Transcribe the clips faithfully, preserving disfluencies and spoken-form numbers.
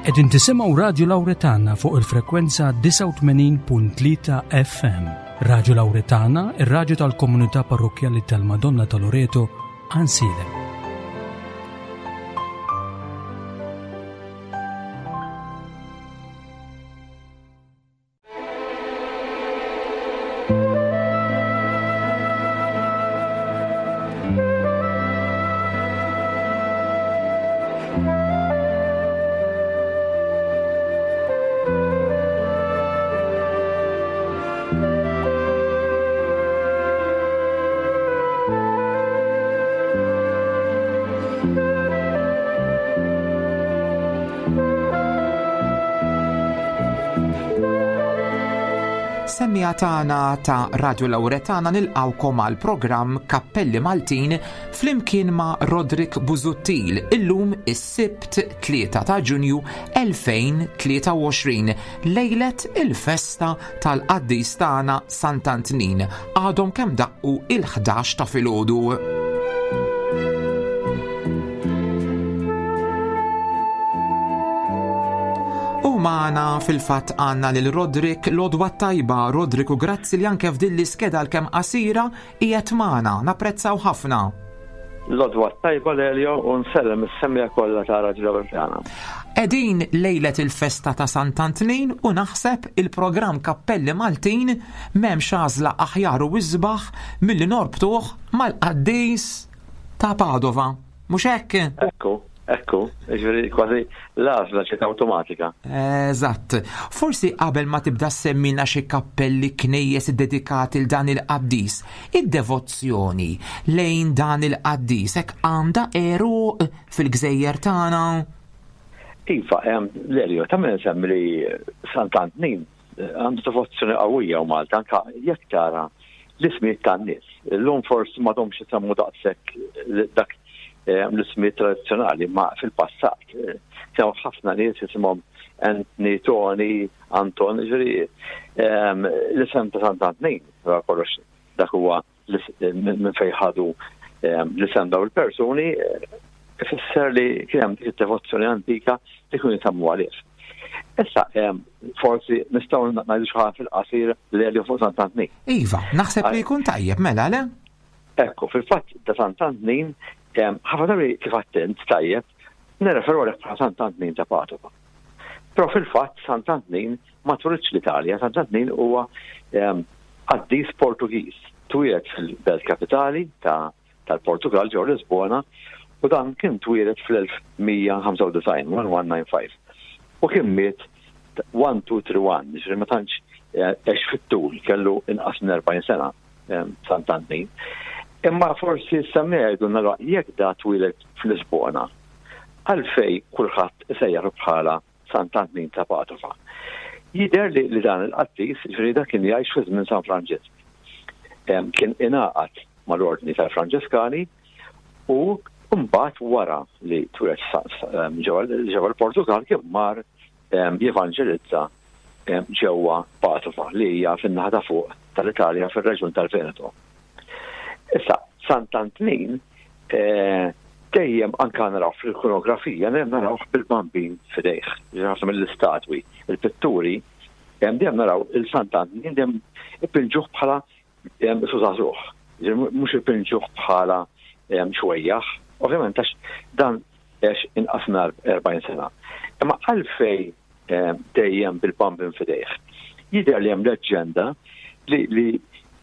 Qegħdin tisimgħu Radio Lauretana fuq il-frekwenza disgħa u tmenin punt tlieta F M. Radio Lauretana, ir-radju tal-Komunità Parrokkjali tal-Madonna ta' Loreto, Għajnsielem. Semmiegħa tagħna ta' Radio Lauretana nilqawkom għal programm Kappelli Maltin flimkien ma' Roderick Busuttil illum is-Sibt tlieta ta' Ġunju elfejn tlieta u għoxrin, lejlet il-festa tal-qaddis tagħna Sant'Antnin. Għadhom kemm daqqu il-ħdax ta' filgħodu. Magħna fil-fatt għandna lil Roderick l-għodwa tajba. Roderick, u grazzi li anke f'din l-iskeda l-kemm qasira qiegħed magħna, napprezzaw ħafna. L-għodwa tajba Lelio, u nsellem is-semmiegħa kollha ta' Radio Lauretana. Qegħdin lejlet il-festa ta' Sant'Antnin u naħseb il-programm Kappelli Maltin m'hemmx għażla aħjar u isbaħ milli norbtuh mal-qaddis ta' Padova. Mhux hekk? Ekku. Ekku, ġifieri kważi l-għażla ġiet awtomatika. Eżatt. Forsi qabel ma tibda semmilna xi kappelli knejjes iddedikati l dan il-qaddis, id-devozzjoni lejn dan il-qaddis hekk għandha għeruq fil-gżejjer tagħna? Iva, em, Lelio, ta' min nsemmi li Sant'Antnin għandu devozzjoni qawwija u Malta, anka jekk tara l-ismijiet tan-nies. Illum forsi m'għadhomx isemmu daqshekk dak l-ismijiet tradizzjonali, ma fil-passat kienu ħafna nies jisimhom Anthony, Tony, Anton, ġifieri, ehm, l-isem ta' Sant'Antnin, wara kollox dak huwa minn fejn ħadu, ehm, l-isem daw il-persuni, ifisser li kien hemm dik id-devozzjoni antika li kienu jisemmu għalih. Issa, ehm, forsi nistgħu ngħidu xi ħaġa fil-qasir li għalih fuq Sant'Antnin. Iva, naħseb li jkun tajjeb mela, le? Ekku, fil-fatt ta' Sant'Antnin, ehm, ħafna drabi kif attent tajjeb, nirreferu għalih bħala Sant'Antnin ta' Padova. Però fil-fatt Sant'Antnin ma twelidx l-Italja, Sant'Antnin huwa, ehm, qaddis Portugiż, twieled fil-belt kapitali ta', tal-Portugal ġew Lisbona, u dan kien twieled fl-elf mija ħamsa u disgħin, one one nine five. U kien miet one two three one, ġifieri ma tantx, eh, għex fit-tul, kellu inqas minn erbgħin sena, ehm, Sant'Antnin. Imma forsi semmiha jgħidu nara jekk da twieled f'Lisbona, għalfej kulħadd isejjaħ bħala Sant'Antnin ta' Padova. Jidher li, li dan il-qaddis, ġifieri dak kien jgħix fi żmien San Franġisk. Em, kien ingħaqad mal-ordni tal-Franġiskani u mbagħad wara li twieled sa-, sa-, em, ġewwa, ġewwa l-Portugal kien mar, em, jevanġelizza, em, ġewwa Padova li hija fin-naħa ta' fuq tal-Italja fir-reġjun tal-Veneto. Issa, Sant'Antnin, eh, dejjem anka naraw fil-ikonografija, dejjem naraw bil-bambin f'idejh, ħafna mill-istatwi, il-pitturi, dejjem dejjem naraw il-Sant'Antnin dejjem ipinġuh bħala, em, sużagħżugħ, mhux ipinġuh bħala, em, xwejjaħ, ovvjament għax dan għex inqas minn erbgħin sena. Imma għalfej, em, dejjem bil-bambin f'idejh. Jidher li hemm leġġenda li, li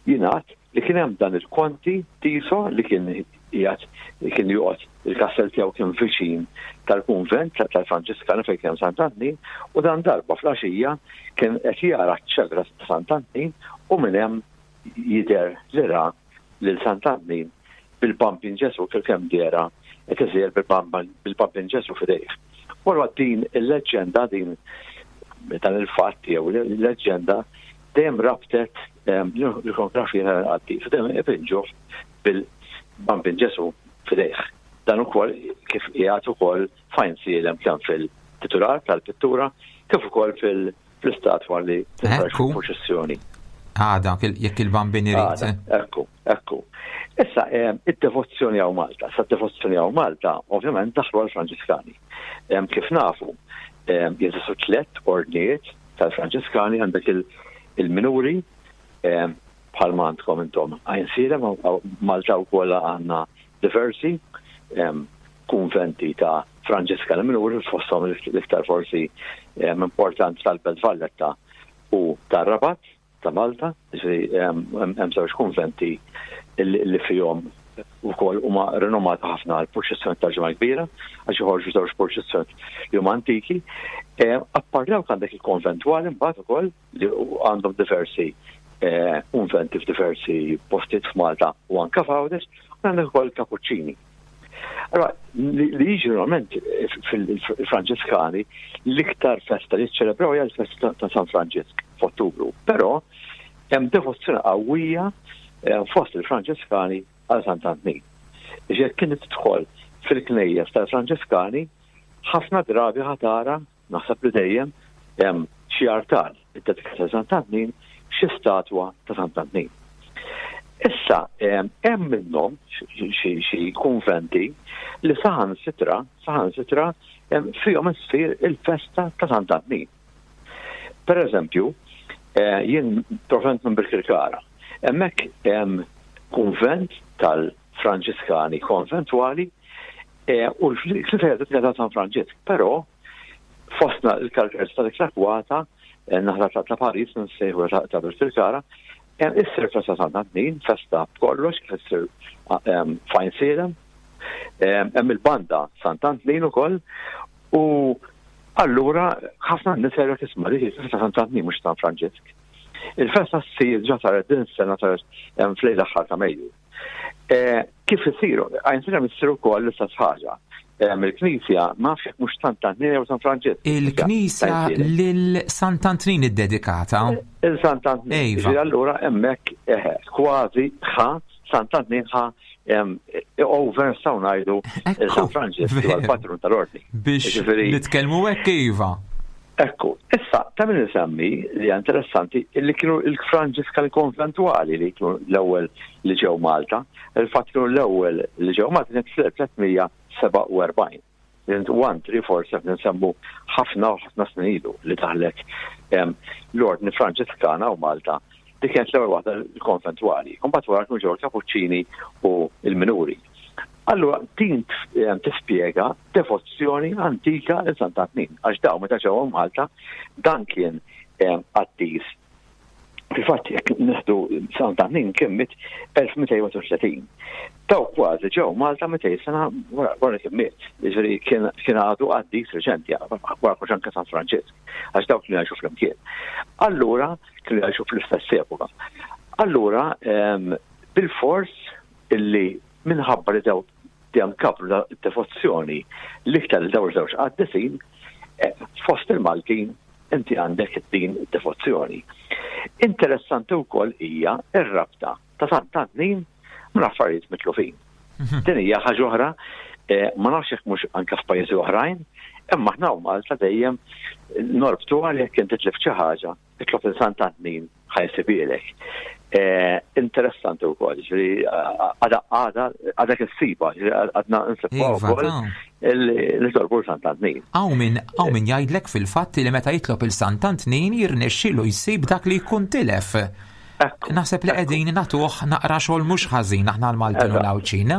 jingħad li kien hemm dan il-Konti Tiso li kien qiegħed, li kien joqgħod il-kastell tiegħu kien viċin tal-kunvent tal-Franġiskani fejn kien Sant'Antnin, u dan darba fl-għaxija kien qed jara ċ-ċegra ta' Sant'Antnin u minn hemm jidher li ra lil Sant'Antnin bil-Bambin Ġesu kif kemm dera qed iżir bil-Bambin Ġesu f'idejh. Wara din il-leġġenda, din dan il-fatt jew il-leġġenda dejjem rabtet, ehm, l-ikonografija tal-qaddis, dejjem ipinġuh bil-Bambin Ġesu f'idejh. Dan ukoll kif qiegħed ukoll f'Għajnsielem kemm fil-titular tal-pittura kif ukoll fil-, fl-istatwa li tinħareġ Ekku. fil-proċessjoni. Għada, jekk il-Bambin irid. Għada, ekku, ekku. Issa, ehm, id-devozzjoni għaw Malta. Sa d-devozzjoni għaw Malta, ovvjament, daħlu għal-Franġiskani. Ehm, kif nafu, Jeżistu tliet ordnijiet tal-Franġiskani, għandek il-minuri, bħalma għandkom intom Għajnsielem, Malta wkoll għandna diversi kunventi ta' Franġiskani minuri, fosthom l-iktar forsi importanti tal-Belt Valletta u tar-Rabat ta' Malta, hemm żewġ kunventi li fihom ukoll huma rinomati ħafna għal purċissjoni tal-Ġimgħa Kbira, għax joħorġu żewġ purċissjoni li huma antiki. Apparti dawk għandek il-konventwali mbagħad ukoll li għandhom diversi kunventi f'diversi postijiet f'Malta u anke f'Għawdex, u għandek ukoll kapuċċini. Allora, li jiġi normalment fil-Franġiskani, l-iktar festa li ċelebraw hija l-festa ta' San Franġisk f'Ottubru. Però hemm devozzjoni qawwija fost il-Franġiskani għal Sant'Antnin. Jekk kien tidħol fil-knejjes tal-Franġiskani, ħafna drabi ħatara, naħseb li dejjem, hemm xi artal iddedikat ta' Sant'Antnin, xi statwa ta' Sant'Antnin. Issa, hemm minnhom xi kunventi li saħansitra, saħansitra fihom issir il-festa ta' Sant'Antnin. Per eżempju, jien provent minn Birkirkara. Hemmhekk hemm kunvent tal-Franġiskani konventwali u l-knisja ta' San Franġisk, però fostna l-karakteristika ta' dik l-akwata, naħra ta' Paris, nsejħu ta' Birkirkara, issir festa Sant'Antnin, festa b'kollox, kif issir f'Għajnsielem, hemm il-banda Sant'Antnin ukoll, u allura ħafna nies jgħidu tisma' dik il-festa Sant'Antnin mhux San Franġisk. Il-festa ssir ġa saret din is-sena, saret fl-lejl aħħar ta' Mejju. Kif isiru? Għajnsielem issir ukoll l-istess ħaġa. Il-Knisja ma nafx jekk mhux Sant'Antnin jew San Franġisk. Il-Knisja lil Sant'Antnin iddedikata. Il-Sant'Antnin. Allura hemmhekk kważi ħa Sant'Antnin ħa over nistgħu ngħidu San Franġisk huwa l-patrun tal-ordni. Biex nitkellmu hekk iva. Ekku, issa ta' min insemmi li hija interessanti li kienu il-Franġiskani konventwali li kienu l-ewwel li ġew Malta. Il-fatt kienu l-ewwel li ġew Malta kienet fl-elf tliet sebgħa u erbgħin. one three four seven nsemmu ħafna u ħafna snin ilu li daħlet l-ordni Franġiskana u Malta. Dik kienet l-ewwel waħda l-konventwali. Imbagħad wara kienu ġew il-Kapuċċini u l-Minuri. Allura din tispjega devozzjoni antika lil Sant'Antnin, għax daw meta ġew Malta dan kien qaddis. Fil-fatt jekk nieħdu Sant'Antnin kien miet elf mitejn u tletin. Daw kważi ġew Malta mitejn sena wara kien miet. Jiġifieri kien għadu qaddis reċenti, wara kollox anke San Franġisk, għax dawk kienu jgħixu flimkien. Allura kienu jgħixu fl-istess epoka. Allura bil-fors illi minħabba li daw dejjem kabru devozzjoni l-iktar li daw żewġ qaddisin, fost il-Maltin inti għandek din devozzjoni. Interessanti wkoll hija r-rabta ta' Sant'Antnin minn affarijiet mitlufin. Din hija ħaġa oħra, ma nafx jekk mhux anke f'pajjiżi oħrajn, imma aħna u Malta dejjem norbtu għal jekk inti tlif xi ħaġa, itlob il Sant'Antnin ħajsibilek. Interessanti wkoll, ġifieri għada għada għadha kissiba, ġifieri għadna nsibha wkoll li tolbu Sant'Antnin. Hawn min hawn min jgħidlek fil-fatt li meta jitlob il Sant'Antnin jirnexxielu jsib dak li jkun tilef. Naħseb li qegħdin nagħtuh naqra xogħol mhux ħażin aħna l-Maltin u l-Għawdxin.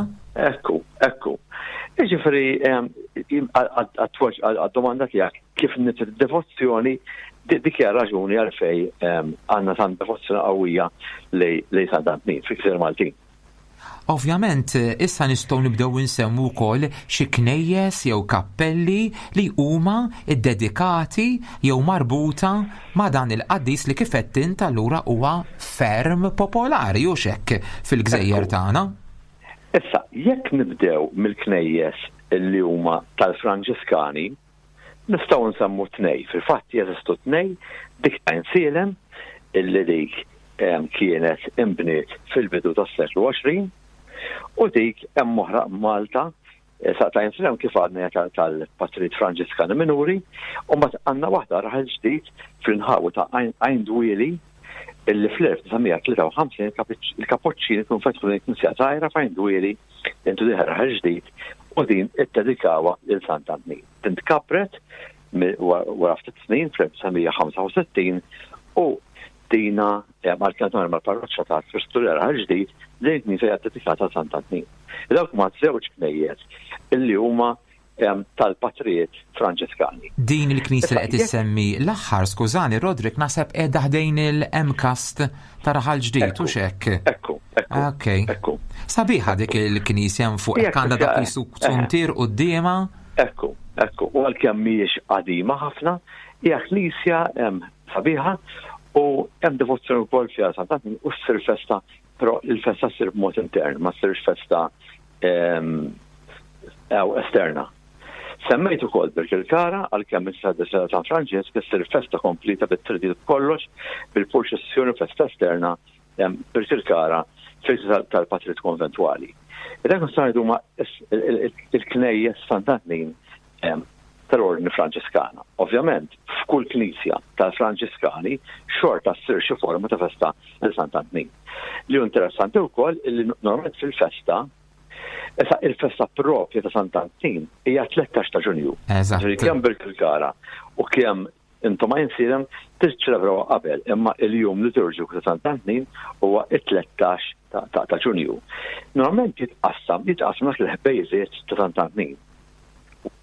Ekku, ekku. Jiġifieri għad-domanda tiegħek kif nit devozzjoni, dik hija raġuni għalfej għandna tant devozzjoni qawwija lejn Sant'Antnin fil-Gżejjer Maltin. Ovvjament, issa nistgħu nibdew insemmu wkoll xi knejjes jew kappelli li huma ddedikati jew marbuta ma' dan il-qaddis li kif qed int allura huwa ferm popolari u xekk fil-gżejjer tagħna. Issa, jekk nibdew mill-knejjes li huma tal-Franġiskani, nistgħu nsemmu tnej. Fil-fatt jeżistu tnej, dik ta' Għajnsielem illi dik kienet imbniet fil-bidu tas-seklu għoxrin, u dik hemm oħra Malta, sa ta' Għajnsielem kif għadna tal-Patrijiet Franġiskani Minuri, u mbagħad għandna waħda raħal ġdid fl-inħawi ta' Għajn Dwieli illi fl-elf disa' tlieta u ħamsin il-Kapuċċini kienu fetħu din il-knisja żgħira f'Għajn Dwieli intu diħer raħal ġdid u din iddedikawha lil Sant'Antnin. Din tkabret wara ftit snin fl-elf disa' mija ħamsa u sittin u dina għal-kien mal-parroċċa ta' Kristu Re Raħal Ġdid, din il-knisja hija dedikata għal Sant'Antnin. Dawk huma żewġ knejjes illi huma tal-patrijiet Franġiskani. Din il-knisja li qed issemmi l-aħħar, skużani Roderick, naħseb qiegħda ħdejn il-M C A S T ta' Raħal Ġdid, u xek? Ekku, ekku. Ok. Ekku. Sabiħa dik il-knisja fuq Hija hekk għandha dak knisja, jisu eh, zuntier quddiemha. Ekku, ekku. U għalkemm mhijiex qadima ħafna, hija knisja sabiħa u hemm devozzjoni wkoll fiha Sant'Antnin u ssir festa, però il-festa ssir b'mod intern, ma ssirx festa ew esterna. Semmejt ukoll Birkirkara, għalkemm issa San Franġisk issir festa kompleta bit-tridiet kollox, bil-purċissjoni, festa esterna Birkirkara fil tal-patrijiet konventwali. Dak nistgħu ngħidu huma il-knejjes Sant'Antnin tal-Ordni Franġiskana. Ovvjament, f'kull knisja tal-Franġiskani xorta ssir xi forma ta' festa lil Sant'Antnin. Li hu interessanti wkoll li normalment fil-festa, issa il-festa propja ta' Sant'Antnin hija tlettax ta' Ġunju. Eżatt. Ġifieri kemm Birkirkara u kemm intom Għajnsielem tiċċelebraw qabel, imma il-jum liturġiku ta' Sant'Antnin huwa it-tlettax ta', ta', ta' Ġunju. Normalment jitqassam, jitqassam dak il-ħbejżiet ta' Sant'Antnin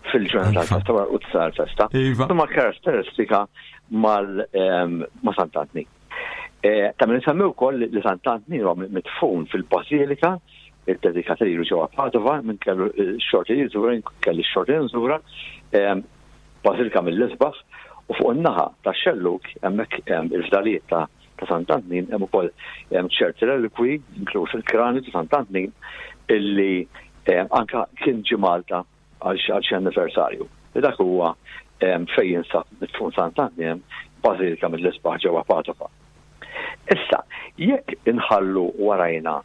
fil-ġurnata Iva. tal-festa wara u tsar festa. Iva. Huma karatteristika mal, ehm, ma' Sant'Antnin. Eh, ta' minn nsemmi wkoll li Sant'Antnin huwa mitfun fil-Basilika iddedikata lilu ġewwa Padova, minn kellu x-xorti li jżura, kelli x-xorti li nżura, ehm, Basilika mill-isbaħ, u fuq in-naħa tax-xellug hemmhekk hemm il-fdalijiet ta' ta' Sant'Antnin, hemm ukoll hemm ċerti relikwi, inkluż il-kranju ta' Sant'Antnin, illi ehm, anka kien ġie Malta għal xi għal xi anniversarju. Dak huwa ehm, fejn jinsab mitfun Sant'Antnin, Basilika mill-isbaħ ġewwa Padova. Issa, jekk inħallu warajna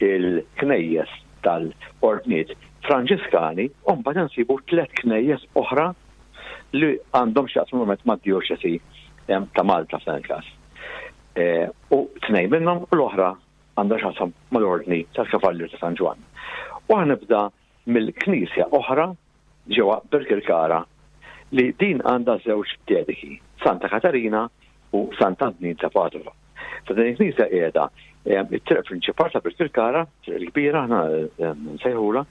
il-knejjes tal-ordniet Franġiskani, u mbagħad insibu tliet knejjes oħra li għandhom x'jaqsmu normalment mad-djoċesi em, ta' Malta f'dan il-każ. Eh, u tnejn minnhom u l-oħra għandha x'jaqsam mal-ordni tal-Kavallier ta' San Ġwann. U nibda mill-knisja oħra ġewwa Birkirkara li din għandha żewġ dediki, Santa Katarina u Sant'Antnin ta' Padova. Ta' din il-knisja qiegħda em, it-triq prinċipal ta' Birkirkara, triq il-kbira, aħna em, nsejħula,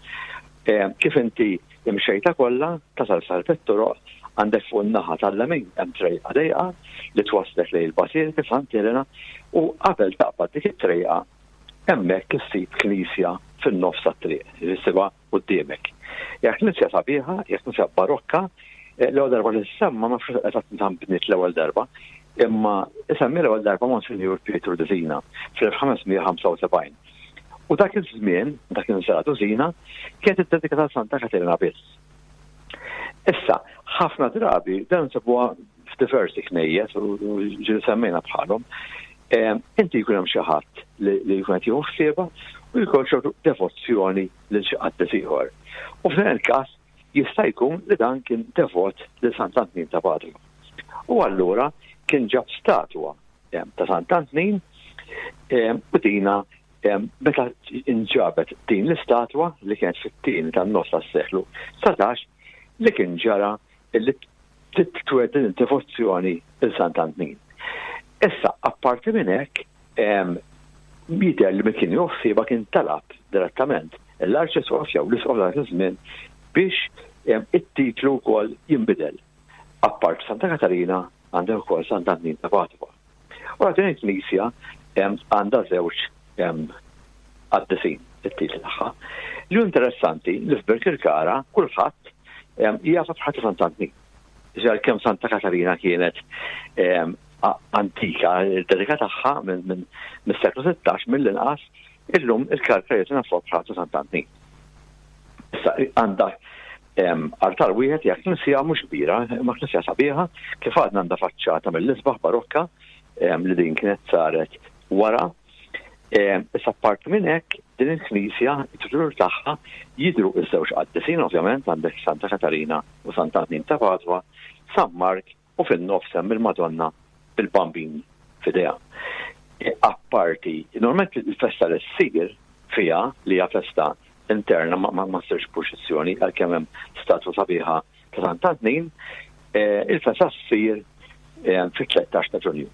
em, kif inti imxejta kollha tasal sal toroq għandek fuq in-naħa tal-lemin hemm trejqa dejqa li twaslek lejn il-Basilika Sant' Elena, u qabel taqbad dik it-trejqa hemmhekk issib knisja fin-nofs tat-triq, issibha quddiemek. Hija knisja sabiħa, hija knisja barokka, eh, l-ewwel darba li semma ma nafx eżatt meta bniet l-ewwel darba, imma isemmi l-ewwel darba Monsignor Pietro Dusina fl-elf ħames mija ħamsa u sebgħin. U dak iż-żmien, dak iż-żmien Dusina, kienet iddedikata Santa Katerina biss. Issa, ħafna drabi dan nsibuha f'diversi knejjes u ġieli semmejna bħalhom. Em, inti jkun hemm xi ħadd li, li jkun qed jieħu ħsiebha u jkun ċertu devozzjoni lil xi qaddis ieħor. U f'dan il-każ jista' jkun li dan kien devot lil Sant'Antnin ta' Padova. U allura kien ġab statwa, em, ta' Sant'Antnin, em, u dina, em, meta inġabet din l-istatwa li kienet fit-tieni tan-nofs tas-seklu satax, li kien ġara li titwed din id-devozzjoni lil Sant'Antnin. Issa, apparti minn hekk, em, jidher li min kien joħsiebha kien talab direttament l-Arċisqof jew l-Isqof dak iż-żmien biex, em, it-titlu wkoll jinbidel. Apart Santa Katarina għandha wkoll Sant'Antnin ta' Padova. U din il-knisja, em, għandha żewġ, em, qaddisin it-titli tagħha. Li hu interessanti li f'Birkirkara kulħadd, em, jaf bħal Sant'Antnin. Ġar kemm Santa Katarina kienet, em, a-, antika, il-dedika tagħha minn, minn, mis-seklu sittax mill-inqas, illum il-Karkarijiet nafu bħal Sant'Antnin. Issa għandha, em, artal wieħed, hija knisja mhux kbira, imma knisja sabiħa, kif għadna għandha faċċata mill-isbaħ barokka, em, li din kienet saret wara. Em, issa apparti minn hekk, din il-knisja, it-titulur tagħha jidhru ż-żewġ qaddisin, ovvjament għandek Santa Katarina u Sant'Antnin ta' Padova, San Mark u fin-nofs hemm il-Madonna bil-Bambin f'idejha. E, apparti, normalment il-festa li ssir fiha li hija festa interna ma, ma, ma ssirx purċissjoni għalkemm hemm statwa sabiħa ta' Sant'Antnin, Il-festa ssir fit-tlettax ta' Ġunju.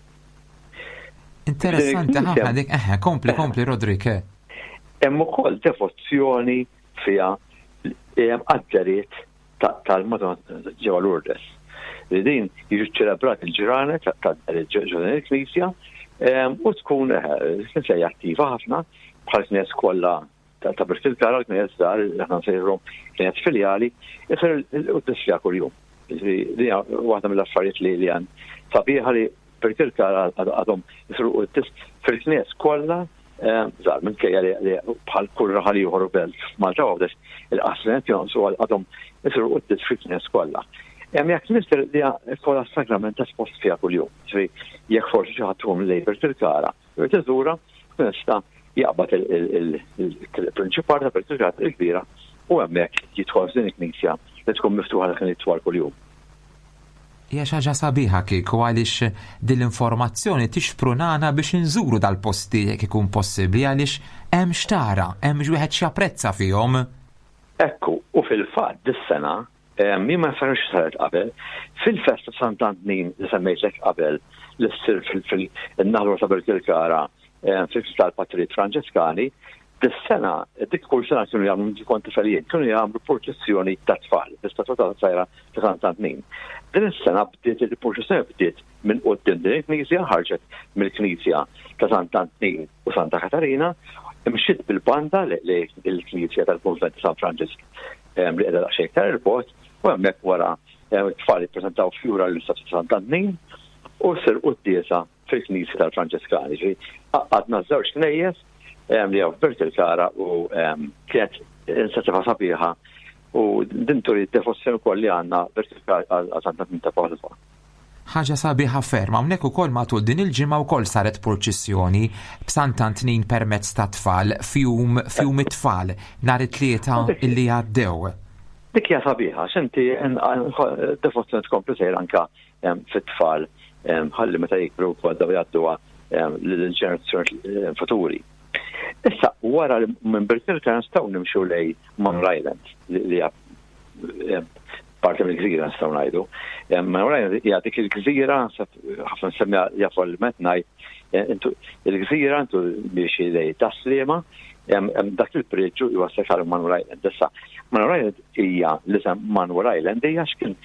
Interessanti ħafna dik, eħe, kompli, kompli, Rodrik. Hemm ukoll devozzjoni fiha għad-deriet tal-Madonna ġewwa Lourdes. Li din jiġu ċelebrati il-ġranet tad-deriet ġewwa il-Knisja u tkun knisja attiva ħafna bħal knies kollha ta' Birkirkara, l-knies żgħar li aħna nsejħulhom knies filjali, isir il-quddies kuljum. Din waħda mill-affarijiet li li għan sabiħa li Birkirkara għadhom jisiru quddies fil-knies kollha żgħar, minkejja li bħal kull raħal ieħor u belt f'Malta Għawdex il-qasrinet jonqsu, għadhom jisiru quddies fil-knies kollha. Hemm jekk tfisser li kollha sagrament espost fiha kuljum. Ġifieri jekk forsi xi ħadd tkun lejn Birkirkara, jrid iżura, nista' jaqbad il-prinċipal ta' Birkirkara il-kbira u hemmhekk jidħol f'din il-knisja li tkun miftuħa dak twal kuljum. Hija xi ħaġa sabiħa kieku, għaliex din l-informazzjoni tixprunana biex inżuru dal-posti jekk ikun possibbli, għaliex hemm xtara, hemm wieħed x'japprezza fihom. Ekku, u fil-fatt dis-sena, jien ma nafx saret qabel, fil-festa Sant'Antnin li semmejtlek qabel li ssir fil-naħlu ta' Birkirkara fil-tal-Patrijiet Franġiskani, dis-sena, dik kull sena kienu jagħmlu, kont tifelijiet, kienu jagħmlu purċissjoni ta' tfal, l-istatwa ta' sajra ta' Sant'Antnin. Din is-sena bdiet il-purċissjoni bdiet minn quddiem din il-knisja, ħarġet mill-knisja ta' Sant'Antnin u Santa Katarina, imxiet bil-banda li l-knisja tal-Kunvent ta' San Franġisk li qiegħda daqsxejn iktar il-bogħod, u hemmhekk wara t-tfal jippreżentaw fjura l-istatwa ta' Sant'Antnin u ssir quddiesa fil-knisja tal-Franġiskani. Għadna żewġ knejjes li għaw Birkirkara u kienet inizjattiva sabiħa u din turi devozzjoni wkoll li għandna Birkirkara għal Sant'Antnin ta' Padova. Ħaġa sabiħa ferm, hawnhekk ukoll matul din il-ġimgħa wkoll saret purċissjoni b'Sant'Antnin permezz ta' tfal fjum fjum it-tfal nhar it-Tlieta illi għaddew. Dik hija sabiħa, x'inti devozzjoni tkompli sejr anka fit-tfal, ħalli meta jikbru wkoll daw jgħadduha lill-ġenerazzjoni futuri. Issa, wara li minn Birkirkara nistgħu nimxu lej Manoel Island, li hija parti mill-gżira nistgħu ngħidu. Manoel Island hija dik il-gżira, ħafna nsemmija jafu l-met ngħid, il-gżira intu biex lej Tas-Sliema, dak il-priġġu jwassal għal Manoel Island. Issa, Manoel Island hija l-isem Manoel Island hija x'kien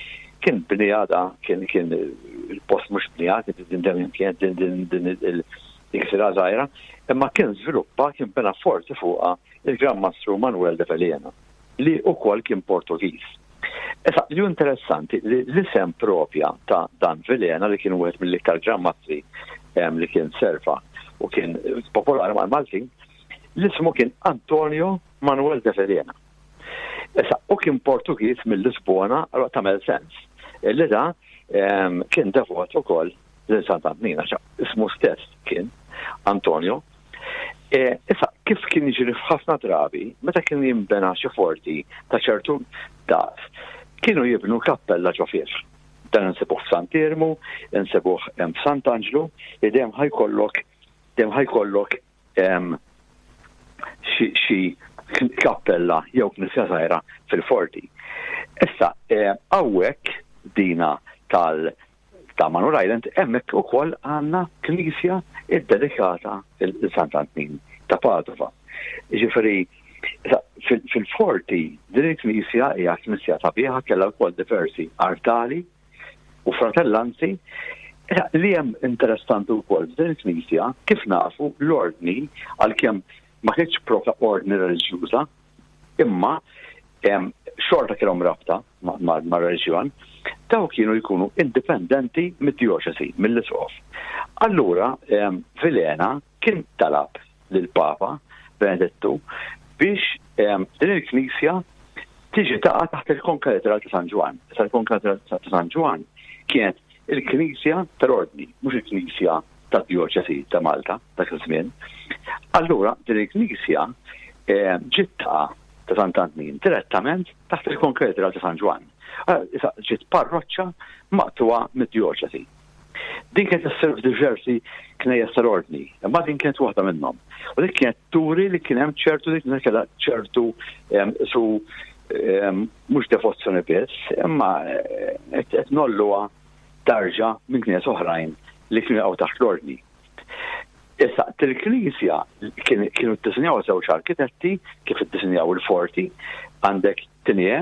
kien bnijada, kien kien il-post mhux bnijad, din kien din din il-gżira żgħira, imma kien żviluppa, kien bena forti fuqha il-Gran Mastru Manuel de Vilhena, li wkoll kien Portugiż. Issa, li interessanti li l-isem propja ta' dan Vilhena, li kien wieħed mill-iktar Gran Mastri li kien serva u kien popolari mal-Maltin, l-ismu kien Antonio Manuel de Vilhena. Issa, u kien Portugiż mill-Lisbona, allora tagħmel sens. Li da kien devot ukoll lil Sant'Antnin, għax ismu stess kien Antonio. Issa, kif kien jiġri f'ħafna drabi, meta kien jinbena xi forti ta' ċertu daqs, kienu jibnu kappella ġo fih. Dan insibuh f'Sant'Iermu, insibuh f'Sant'Anġlu, dejjem ħajkollok, dejjem ħajkollok xi kappella jew knisja żgħira fil-forti. Issa, hawnhekk dina tal ta' Manoel Island, hemmhekk ukoll għandna knisja iddedikata il Sant'Antnin ta' Padova. Ġifieri, fil-forti din il-knisja hija knisja sabiħa, kellha wkoll diversi artali u fratellanzi. Li hemm interessanti wkoll f'din il-knisja, kif nafu l-ordni, għalkemm ma kienx propja ordni reliġjuża, imma xorta kellhom rabta ma' reliġjon, daw kienu jkunu indipendenti mid-dioċesi, mill-isqof. Allura, Vilhena kien talab lill-Papa Benedettu biex din il-knisja tiġi taqa' taħt il-Konkatedral ta' San Ġwann. Issa l-Konkatedral ta' San Ġwann kienet il-knisja tal-ordni, mhux il-knisja tad-dioċesi ta' Malta dak iż-żmien. Allura din il-knisja ġiet taqa' ta' Sant'Antnin direttament taħt il-Konkatedral ta' San Ġwann. Issa ġiet parroċċa maqtuwa mid-dioċesi. Din kienet issir f'diversi knejjes tal-ordni, imma din kienet waħda minnhom. U dik kienet turi li kien hemm ċertu dik kellha ċertu su Mhux devozzjoni biss, imma qed ngħolluha darġa minn knies oħrajn li kienu jaqgħu taħt l-ordni. Issa, til-knisja kienu ddisinjaw żewġ arkitetti kif iddisinjaw il-forti, għandek Tinje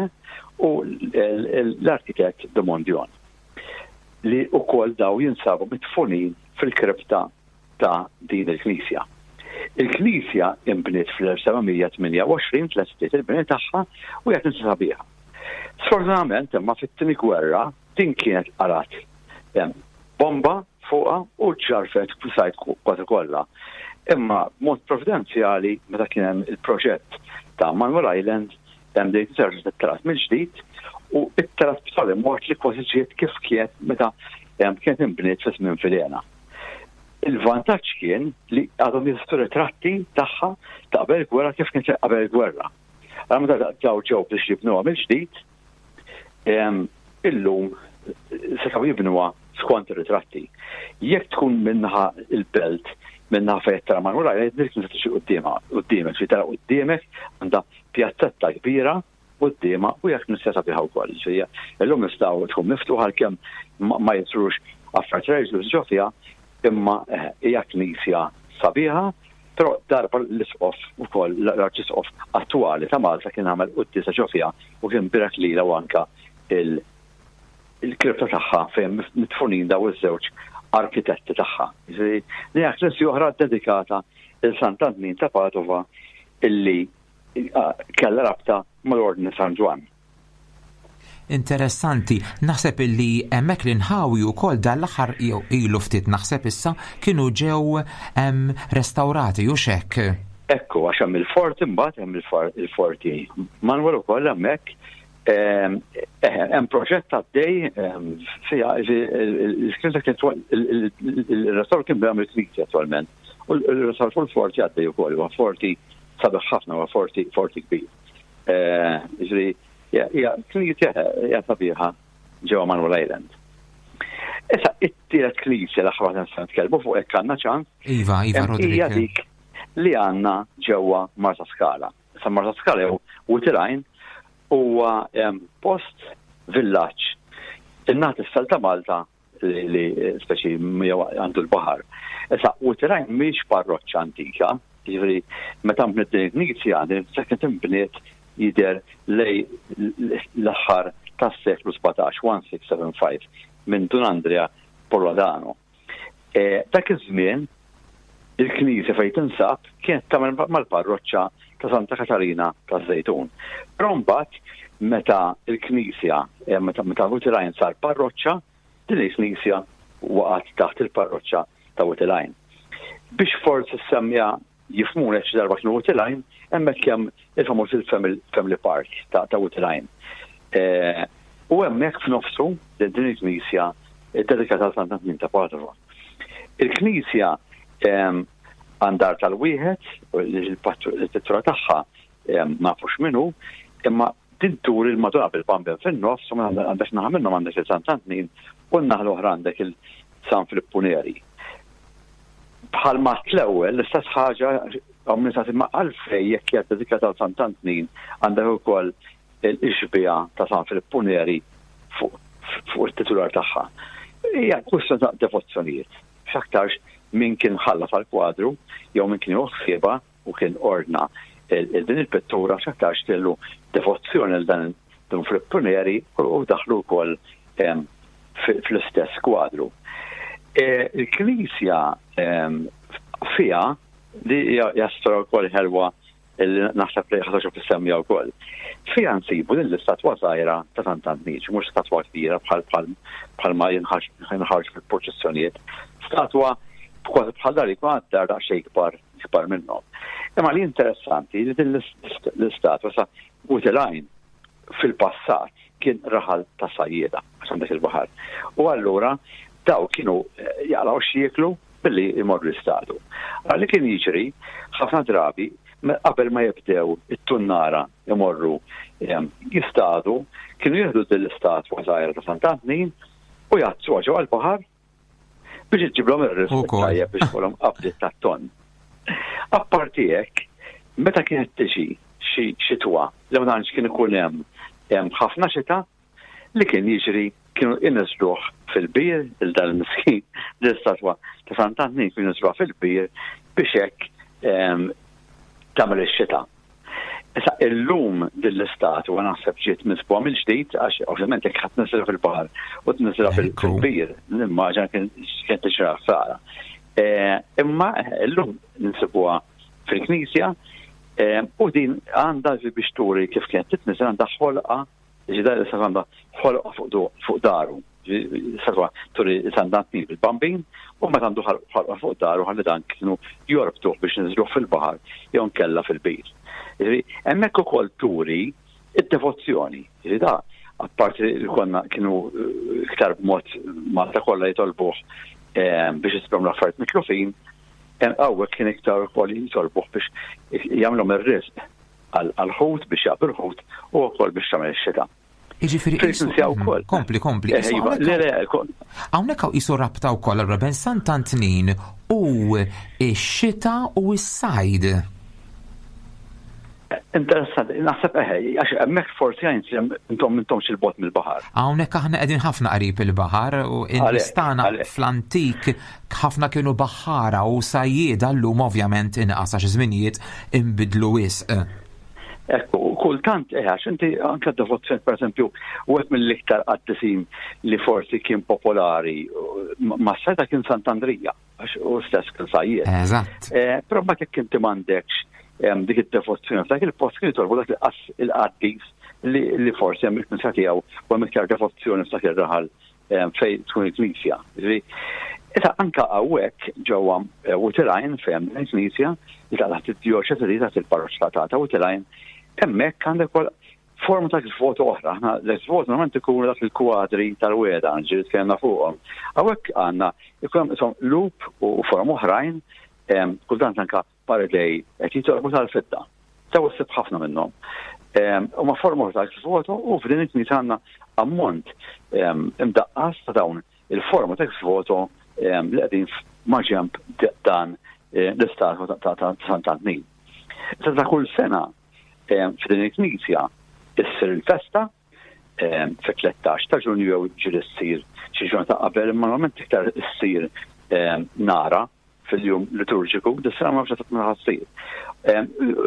u l-arkitett de Mondion, li wkoll daw jinsabu mitfunin fil-kripta ta' din il-knisja. Il-knisja imbniet fl-elf seba' mija tmienja u għoxrin, tlestiet il-bini tagħha u hija knisja sabiħa. Sfortunatament imma fit-tieni gwerra din kienet qarat bomba fuqha u ġarfet sajt kważi kollha. Imma b'mod providenzjali meta kien hemm il-proġett ta' Manuel Island hemm dejt terġa' tittelat mill-ġdid u ittelat b'tali mod li kważi ġiet kif kienet meta kienet inbniet fi żmien Vilhena. Il-vantaġġ kien li għadhom jeżistu ritratti tagħha ta' qabel gwerra kif kienet qabel gwerra. Allura meta daw ġew biex jibnuha mill-ġdid, illum setgħu jibnuha skont ir-ritratti. Jekk tkun minnaħa il-belt, minnaħa fejn tara Manuel Island, dik tista' tiġi quddiemha, quddiemek, xi tara quddiemek għandha pjazzetta kbira quddiemha u jekk nista' sabiħa wkoll. Ġifieri illum nistgħu tkun miftuħa għalkemm ma jisrux affarijiet reliġjużi ġo fiha, imma hija knisja sabiħa, però darba l-isqof ukoll l-arċisqof attwali ta' Malta kien għamel quddiesa ġo fiha u kien birek lilha u anka il-kripta tagħha fejn mitfunin daw iż-żewġ arkitetti tagħha. Ġifieri li hija knisja oħra dedikata lil Sant'Antnin ta' Padova illi kellha rabta mal-Ordni San Ġwann. Interessanti, naħseb illi hemmhekk l-inħawi wkoll dan l-aħħar ilu ftit naħseb issa kienu ġew restaurati u xek. Ekku, għax hemm il-forti mbagħad hemm il-forti. Manuel ukoll hemmhekk hemm proġett għaddej fiha il-restawr kien bejgħam il-knisja attwalment. U l-restawr fuq il-forti għaddej ukoll, huwa forti sabiħ ħafna, huwa forti forti kbir. Ġifieri hija knisja hija sabiħa ġewwa Manuel Island. Issa it-tielet knisja l-aħħar waħda nistgħu nitkellmu fuq hekk għandna ċans. Iva, iva, Roderick. Hija dik li għandna ġewwa Marsaskala. Issa Marsaskala jew Wied il-Għajn huwa post villaġġ in-naħa t'isfel ta' Malta li speċi għandu l-baħar. Issa Wied il-Għajn mhix parroċċa antika, jiġifieri meta nbniet din il-knisja din kienet inbniet jidher lej l-aħħar tas-seklu sbatax, one six seven five, minn Dun Andrea Polladano. Dak iż-żmien il-knisja fejn tinsab kienet tagħmel mal-parroċċa ta' Santa Katarina taż-Żejtun. Però mbagħad meta l-knisja, meta meta Wied il-Għajn sar parroċċa, din il-knisja waqgħet taħt il-parroċċa ta' Wied il-Għajn. Biex forsi semmija jifhmuna xi darba kienu Wied il-Għajn, hemmhekk hemm il-famuż il-Family Park ta' Wied il-Għajn. U hemmhekk f'nofsu din il-knisja dedikata għal Sant'Antnin ta' Padova. Il-knisja għandar tal-wieħed, il-pittura tagħha ma nafux minnu, imma din tur il-Madonna bil-Bambin fin-nofs, u għandek naħa minnhom għandek il-Sant'Antnin u n-naħa l-oħra għandek il-San Filippu Neri. Bħalma l-ewwel l-istess ħaġa għamlu sa imma għalfej jekk hija dedikata għal Sant'Antnin għandek ukoll il-xbieha ta' San Filippu Neri fuq it-titular tagħha. Hija kwistjoni ta' devozzjonijiet. X'aktarx min kien ħalla tal-kwadru jew min kien ħsiebha u kien ordna din il-pittura x'aktarx kellu devozzjoni għal dan Dun Filippu Neri u daħlu wkoll fl-istess kwadru. Il-Knisja fiha li hija storja wkoll ħelwa li naħseb li ħadd tissemmiha wkoll. Fiha nsibu din l-istatwa żgħira ta' Sant'Antnin, mhux statwa kbira bħal bħal ma jinħarġ fil-proċessjonijiet. Statwa kważi bħal dar jkun għad-dar daqsxejn kbar kbar minnhom. Imma li interessanti li din l-istatwa sa Wied il-Għajn fil-passat kien raħal ta' sajjieda għax għandek il-baħar. U allura daw kienu jaqlaw x'jieklu billi jmorru l-istatu. Għalli kien jiġri ħafna drabi qabel ma jibdew it-tunnara jmorru jistadu, kienu jieħdu din l-istatwa żgħira ta' Sant'Antnin u jgħaddsuha ġewwa l-baħar biex iġiblhom ir-risq tajjeb biex ikollhom qabdiet tat-tonn. Apparti hekk, meta kienet tiġi xi xitwa li ma tantx kien ikun hemm ħafna xita, li kien jiġri kienu inniżżluh fil-bir, lil dal-miskin, l-istatwa ta' Sant'Antnin kienu jinżluha fil-bir biex hekk tagħmel ix-xita. Issa illum din l-istatwa naħseb ġiet miżbugħa mill-ġdid, għax ovvjament jekk ħadd tniżżilha fil-baħar u tniżżilha fil-bir, nimmaġina kien tiġra ħsara. Imma illum ninsibuha fil-knisja u din għandha biex turi kif kienet titniżel, għandha ħolqa, ġida għandha ħolqa fuq daru. Statwa turi Sant'Antnin bil-Bambin u meta għandu ħolqa fuq daru ħalli dan kienu jorbtuh biex niżluh fil-baħar jew nkella fil-bir. Hemmhekk ukoll turi id-devozzjoni. Da, apparti li konna kienu iktar b'mod Malta kollha jitolbuh biex jisibhom l-affarijiet mitlufin, hawnhekk kien iktar ukoll jitolbuh biex jagħmlhom ir-risq għal-ħut, biex jaqbdu l-ħut u wkoll biex tagħmel ix-xita. Jiġifieri wkoll. Kompli, kompli. Hawnhekk hawn qisu rabta wkoll allura bejn Sant'Antnin u x-xita u s-sajd. Interessanti, naħseb eħe, għax hemmhekk forsi għajn intom intomx 'il bogħod mill-baħar. Hawnhekk aħna qegħdin ħafna qrib il-baħar u n-nies tagħna fl-antik ħafna kienu baħħara u sajjieda, llum ovvjament inqas għax żminijiet inbidlu wisq. Ekku, kultant eħe, għax inti anke devozzjoni, per esempio, u għet mill-iktar qaddisin li forsi kien popolari ma' seta kien Sant'Andrija, għax u stess kien sajjied. Eżatt. Però ma jekk inti m'għandekx dik id-devozzjoni f'dak il-post, kien jitolbu dak il-qaddis li forsi hemm il-knisja tiegħu u hemm iktar devozzjoni f'dak ir-raħal fejn tkun il-knisja. Issa anka hawnhekk ġewwa Wied il-Għajn fejn il-knisja li taħt id-djoċesi, taħt il-parroċċa ta' Wied il-Għajn, hemmhekk għandek ukoll forma ta' voto oħra. Aħna l-voto normalment ikunu dak il-kwadri tal-weda, ġieli tkellimna fuqhom. Hawnhekk għandna ikun lup u forma oħrajn, kultant anka paradej qed jitolbu tal-fidda. Taw issib ħafna minnhom. U ma forma ta' voto u f'din il-knisja għandna ammont imdaqqas ta' dawn il-forma ta' voto li qegħdin maġenb dan l-istatwa ta' Sant'Antnin. Issa ta' kull sena f'din il-knisja issir il-festa fit-tlettax ta' Ġunju jew ġieli ssir xi ġurnata qabel, imma normalment iktar issir nara fil-jum liturġiku, dis-sena ma nafx meta ssir.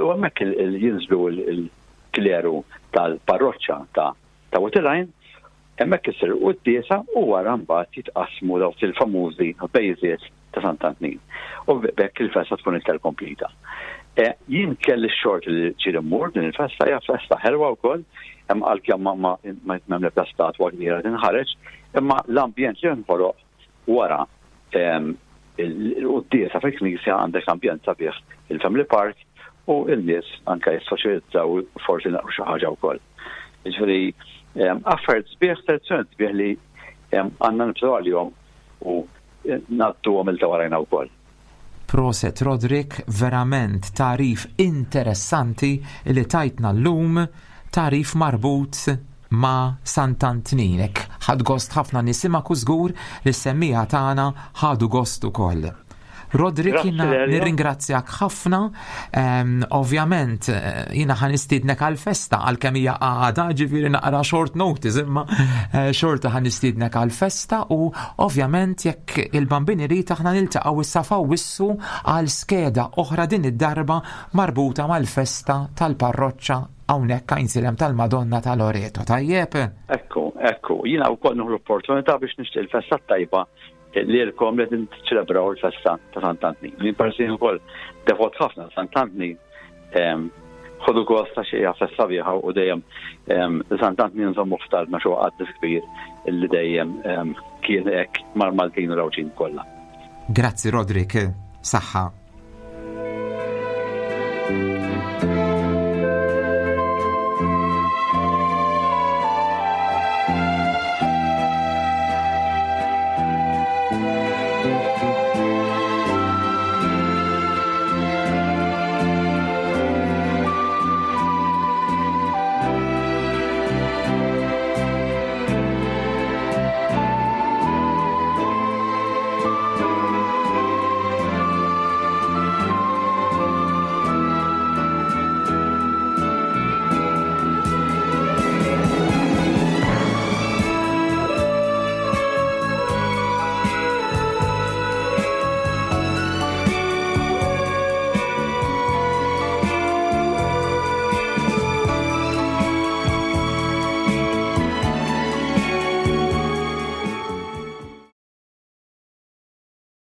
U hemmhekk jinżlu il-kleru tal-parroċċa ta' ta' Wied il-Għajn, hemmhekk issir quddiesa u wara mbagħad jitqasmu dawk il-famużi bejżiet ta' Sant'Antnin. U bekk il-festa tkun iktar komplita. Jien kelli x-xorti li ġieli mmur din il-festa, hija festa ħelwa wkoll, hemm għalkemm ma ma m'hemm l-ebda statwa kbira tinħareġ, imma l-ambjent li nħoloq wara il-quddiesa fil-knisja, għandek ambjent sabiħ, il-Family Park, u il-nies anke jissoċjalizzaw, forsi naqru xi ħaġa wkoll. Jiġifieri affarijiet sbieħ, tradizzjoni sbieħ li għandna nibżgħu għalihom u ngħadduhom lil ta' warajna wkoll. Proset Roderick, verament tagħrif interessanti li tajtna llum, tagħrif marbut ma' Sant'Antnin. Ħadt gost ħafna nisimgħek u żgur li s-semmiegħa tagħna ħadu gost ukoll. Roderick, jiena nirringrazzjak ħafna. Ovvjament, jiena ħa nistiednek għal-festa, għalkemm hija għada, ġifieri naqra short notice, imma xorta ħa nistiednek għal-festa u ovvjament jekk il-Bambin irid aħna niltaqgħu issa f'Awwissu għal skeda oħra, din id-darba marbuta mal-festa tal-parroċċa hawnhekk Għajnsielem tal-Madonna ta' Loreto. Tajjeb? Ekku, ekku, jiena wkoll nieħu l-opportunità biex nixtieq il-festa tajba lilkom li tiċċelebraw il-festa ta' Sant'Antnin. Jien parsi ukoll devot ħafna Sant'Antnin. Ħodu gost ta' xi festa sabiħa u dejjem Sant'Antnin nżommu f'talbna, xi qaddis kbir li dejjem kien hekk mal-Maltin u l-Għawdxin kollha. Grazzi Roderick, saħħa. Thank you.